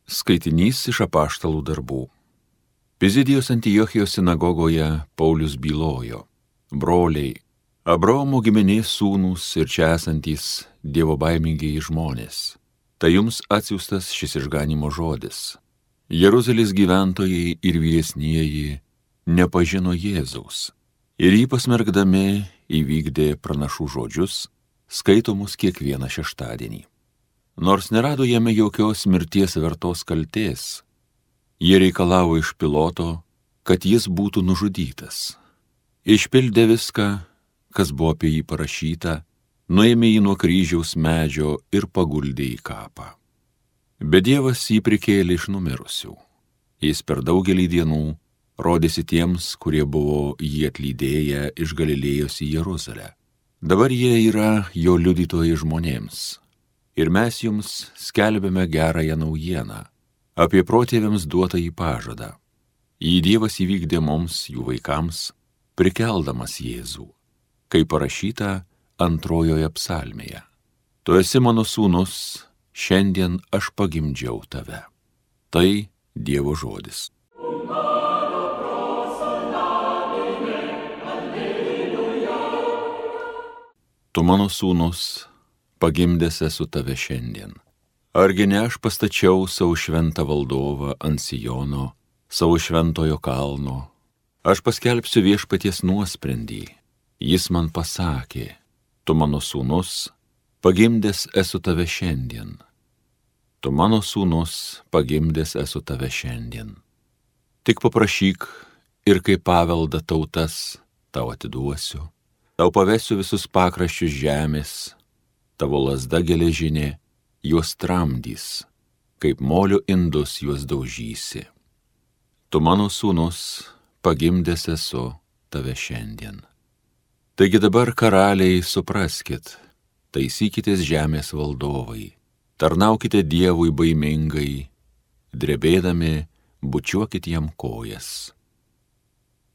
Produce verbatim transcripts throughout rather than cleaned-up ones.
Skaitinys iš apaštalų darbų. Pizidijos Antiochijos sinagogoje Paulius bylojo: broliai, Abraomo giminės sūnūs ir čia esantys dievobaimingiai žmonės, tai jums atsiųstas šis išganimo žodis. Jeruzalės gyventojai ir vyresnieji nepažino Jėzaus ir jį pasmerkdami įvykdė pranašų žodžius, skaitomus kiekvieną šeštadienį. Nors nerado jame jokios mirties vertos kaltės, jie reikalavo iš Piloto, kad jis būtų nužudytas. Išpildė viską, kas buvo apie jį parašyta, nuėmė jį nuo kryžiaus medžio ir paguldė į kapą. Bet Dievas jį prikėlė iš numirusių. Jis per daugelį dienų rodėsi tiems, kurie buvo jį atlydėję iš Galilėjos į Jeruzalę. Dabar jie yra jo liudytojai žmonėms. Ir mes jums skelbėme gerąją naujieną apie protėviams duotą į pažadą. Jį Dievas įvykdė mums, jų vaikams, prikeldamas Jėzų, kaip parašyta antrojoje psalmėje. Tu esi mano sūnus, šiandien aš pagimdžiau tave. Tai Dievo žodis. Tu mano sūnus, pagimdęs esu tave šiandien. Argi ne aš pastačiau savo šventą valdovą ant Sijono, savo šventojo kalno. Aš paskelbsiu viešpaties nuosprendį. Jis man pasakė: tu mano sūnus, pagimdęs esu tave šiandien. Tu mano sūnus, pagimdęs esu tave šiandien. Tik paprašyk ir kaip paveldą tautas tau atiduosiu. Tau pavesiu visus pakraščius žemės, tavo lazda geležinė juos tramdys, kaip molio indus juos daužysi. Tu mano sūnus, pagimdęs esu tave šiandien. Taigi dabar, karaliai, supraskit, taisykitės žemės valdovai, tarnaukite Dievui baimingai, drebėdami bučiuokit jam kojas.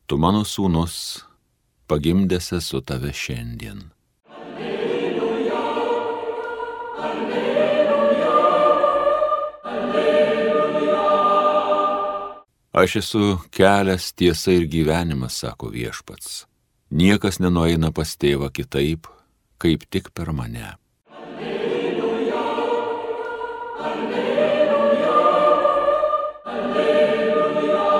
Tu mano sūnus, pagimdęs esu tave šiandien. Aš esu kelias, tiesa ir gyvenimas, sako viešpats. Niekas nenueina pas tėvą kitaip, kaip tik per mane. Alleluja, alleluja, alleluja.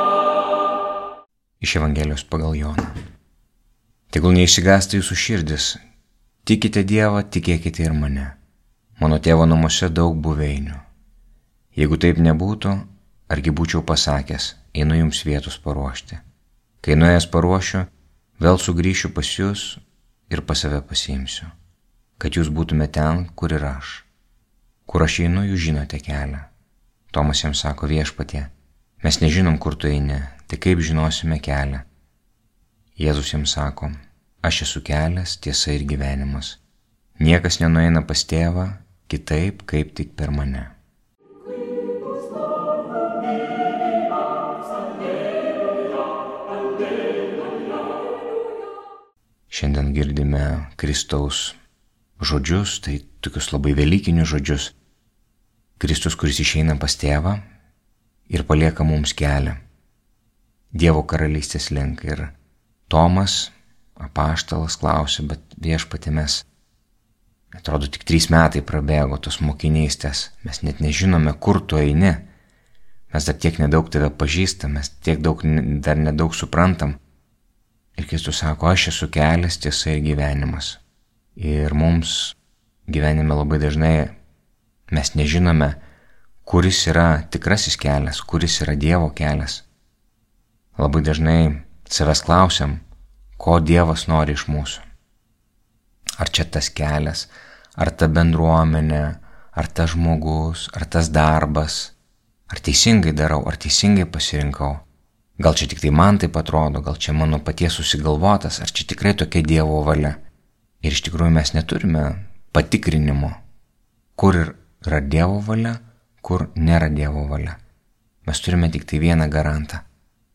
Iš Evangelijos pagal Joną. Tegul neišsigąsta jūsų širdis. Tikite Dievą, tikėkite ir mane. Mano tėvo namuose daug buveinių. Jeigu taip nebūtų, argi būčiau pasakęs: einu jums vietos paruošti. Kai nuėjęs paruošiu, vėl sugrįšiu pas jūs ir pas save pasiimsiu, kad jūs būtume ten, kur ir aš. Kur aš einu, jūs žinote kelią. Tomas jam sako: viešpatie, mes nežinom, kur tu eini, tai kaip žinosime kelią? Jėzus jam sako: aš esu kelias, tiesa ir gyvenimas. Niekas nenueina pas tėvą kitaip, kaip tik per mane. Šiandien girdime Kristaus žodžius, tai tokius labai velykinius žodžius. Kristus, kuris išeina pas tėvą ir palieka mums kelią Dievo karalystės link. Ir Tomas, apaštalas, klausė: bet viešpatie, mes, atrodo, tik trys metai prabėgo tos mokinystės, mes net nežinome, kur tu eini, mes dar tiek nedaug tave pažįstam, mes tiek daug, dar nedaug suprantam. Ir Kristus sako: aš esu kelias, tiesa ir gyvenimas. Ir mums gyvenime labai dažnai mes nežinome, kuris yra tikrasis kelias, kuris yra Dievo kelias. Labai dažnai savęs klausiam, ko Dievas nori iš mūsų. Ar čia tas kelias, ar ta bendruomenė, ar tas žmogus, ar tas darbas, ar teisingai darau, ar teisingai pasirinkau. Gal čia tik tai man taip atrodo, gal čia mano paties susigalvotas, ar čia tikrai tokia Dievo valia. Ir iš tikrųjų mes neturime patikrinimo, kur yra Dievo valia, kur nėra Dievo valia. Mes turime tik tai vieną garantą.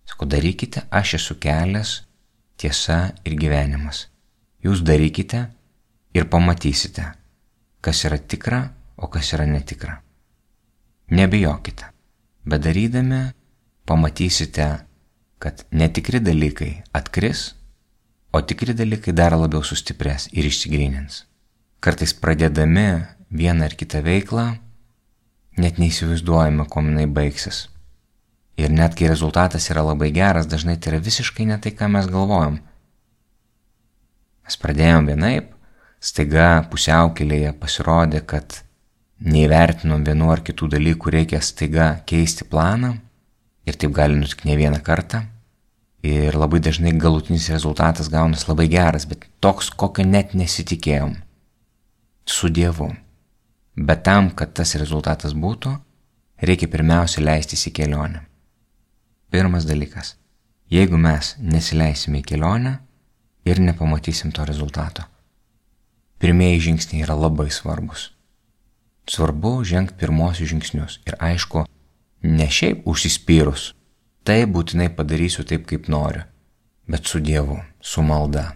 Sako: darykite, aš esu kelias, tiesa ir gyvenimas. Jūs darykite ir pamatysite, kas yra tikra, o kas yra netikra. Nebijokite, bet darydami pamatysite, kad netikri dalykai atkris, o tikri dalykai dar labiau sustiprės ir išsigrynins. Kartais pradėdami vieną ar kitą veiklą, net neįsivaizduojame, kuo jinai baigsis. Ir net kai rezultatas yra labai geras, dažnai tai yra visiškai ne tai, ką mes galvojam. Mes pradėjom vienaip, staiga pusiaukelėje pasirodė, kad neįvertinom vienų ar kitų dalykų, reikia staiga keisti planą ir taip gali nutikti ne vieną kartą. Ir labai dažnai galutinis rezultatas gaunas labai geras, bet toks, kokio net nesitikėjom. Su Dievu. Bet tam, kad tas rezultatas būtų, reikia pirmiausia leistis į kelionę. Pirmas dalykas. Jeigu mes nesileisime į kelionę ir nepamatysim to rezultato. Pirmieji žingsniai yra labai svarbus. Svarbu žengti pirmosius žingsnius. Ir aišku, ne šiaip užsispyrus. Tai būtinai padarysiu taip, kaip noriu. Bet su Dievu, su malda.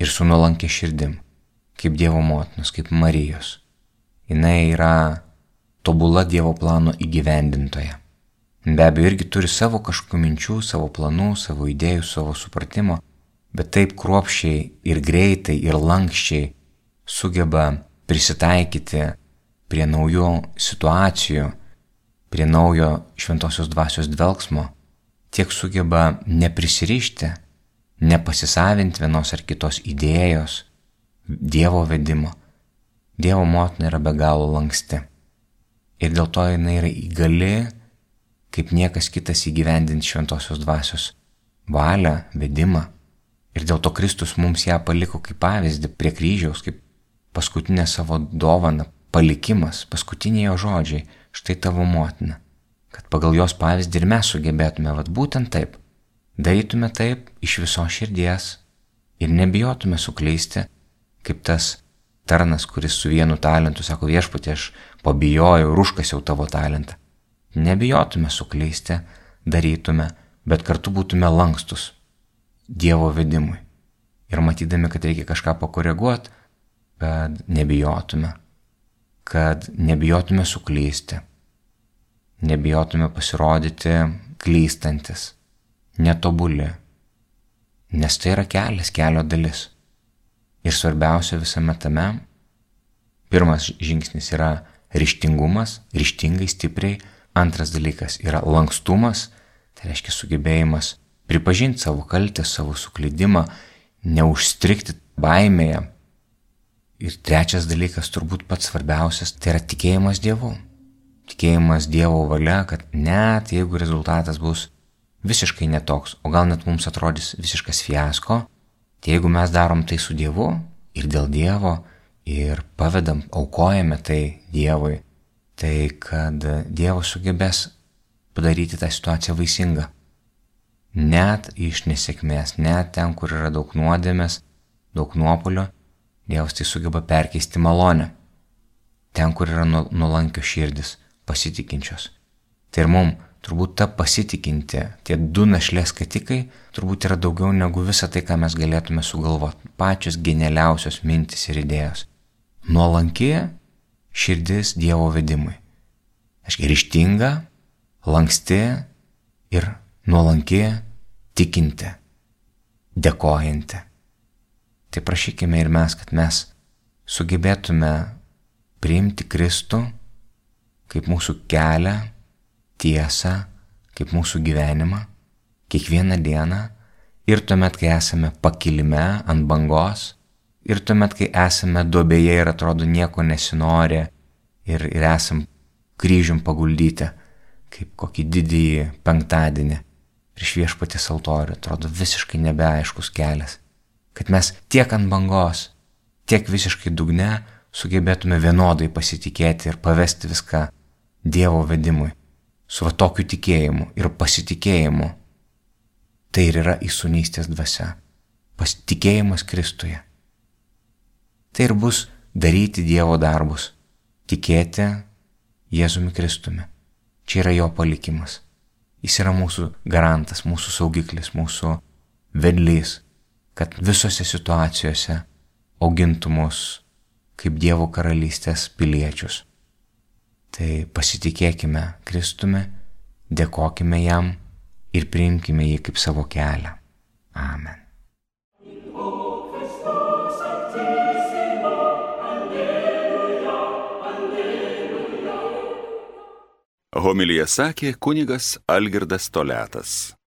Ir su nuolankia širdim. Kaip Dievo motinos, kaip Marijos. Jinai yra tobula Dievo plano įgyvendintoja. Be abejo, irgi turi savo kažkokių minčių, savo planų, savo idėjų, savo supratimo, bet taip kruopščiai ir greitai ir lankščiai sugeba prisitaikyti prie naujų situacijų, prie naujo šventosios dvasios dvelksmo, tiek sugeba neprisirišti, nepasisavinti vienos ar kitos idėjos, Dievo vedimo. Dievo motina yra be galo lanksti. Ir dėl to jinai yra įgali, kaip niekas kitas įgyvendinti šventosios dvasios valią, vedimą. Ir dėl to Kristus mums ją paliko kaip pavyzdį prie kryžiaus, kaip paskutinę savo dovaną, palikimas, paskutiniai jo žodžiai, štai tavo motina. Kad pagal jos pavyzdį ir mes sugebėtume, vat būtent taip, darytume taip iš visos širdies ir nebijotume suklysti, kaip tas tarnas, kuris su vienu talentu sako, viešpatie, aš pabijojau ir užkasiau tavo talentą. Nebijotume suklysti, darytume, bet kartu būtume lankstus Dievo vedimui. Ir matydami, kad reikia kažką pakoreguoti, kad nebijotume, kad nebijotume suklysti, nebijotume pasirodyti klystantis, netobuli, nes tai yra kelias, kelio dalis. Ir svarbiausia visame tame, pirmas žingsnis yra ryžtingumas, ryžtingai, stipriai. Antras dalykas yra lankstumas, tai reiškia sugebėjimas pripažinti savo kaltę, savo suklydimą, neužstrigti baimėje. Ir trečias dalykas, turbūt pats svarbiausias, tai yra tikėjimas Dievu. Tikėjimas Dievo valia, kad net jeigu rezultatas bus visiškai netoks, o gal net mums atrodys visiškas fiasko, tai jeigu mes darom tai su Dievu ir dėl Dievo ir pavedam, aukojame tai Dievui, tai kad Dievas sugebės padaryti tą situaciją vaisingą. Net iš nesėkmės, net ten, kur yra daug nuodėmės, daug nuopuolio, Dievas tai sugeba perkeisti malonę. Ten, kur yra nuolankios širdis, pasitikinčios. Tai ir mums turbūt ta pasitikinti, tie du našlės skatikai, turbūt yra daugiau negu visa tai, ką mes galėtume sugalvoti. Pačios genialiausios mintis ir idėjos. Nuolanki širdis Dievo vedimui. Aiškiai, ryžtinga, lanksti ir nuolanki, tikinti, dėkojanti. Tai prašykime ir mes, kad mes sugebėtume priimti Kristų kaip mūsų kelią, tiesą, kaip mūsų gyvenimą, kiekvieną dieną ir tuomet, kai esame pakilime ant bangos, ir tuomet, kai esame duobėje ir atrodo nieko nesinori ir, ir esam kryžium paguldyti, kaip kokį didįjį penktadienį prieš Viešpaties altorių, atrodo visiškai nebeaiškus kelias, kad mes tiek ant bangos, tiek visiškai dugne sugebėtume vienodai pasitikėti ir pavesti viską Dievo vedimui, su va tokiu tikėjimu ir pasitikėjimu. Tai ir yra įsūnystės dvasia, pasitikėjimas Kristuje. Tai ir bus daryti Dievo darbus, tikėti Jėzumi Kristumi. Čia yra jo palikimas. Jis yra mūsų garantas, mūsų saugiklis, mūsų vedlys, kad visose situacijose augintų mus kaip Dievo karalystės piliečius. Tai pasitikėkime Kristumi Dėkokime jam ir priimkime jį kaip savo kelią. Amen. Homiliją sakė kunigas Algirdas Toliatas.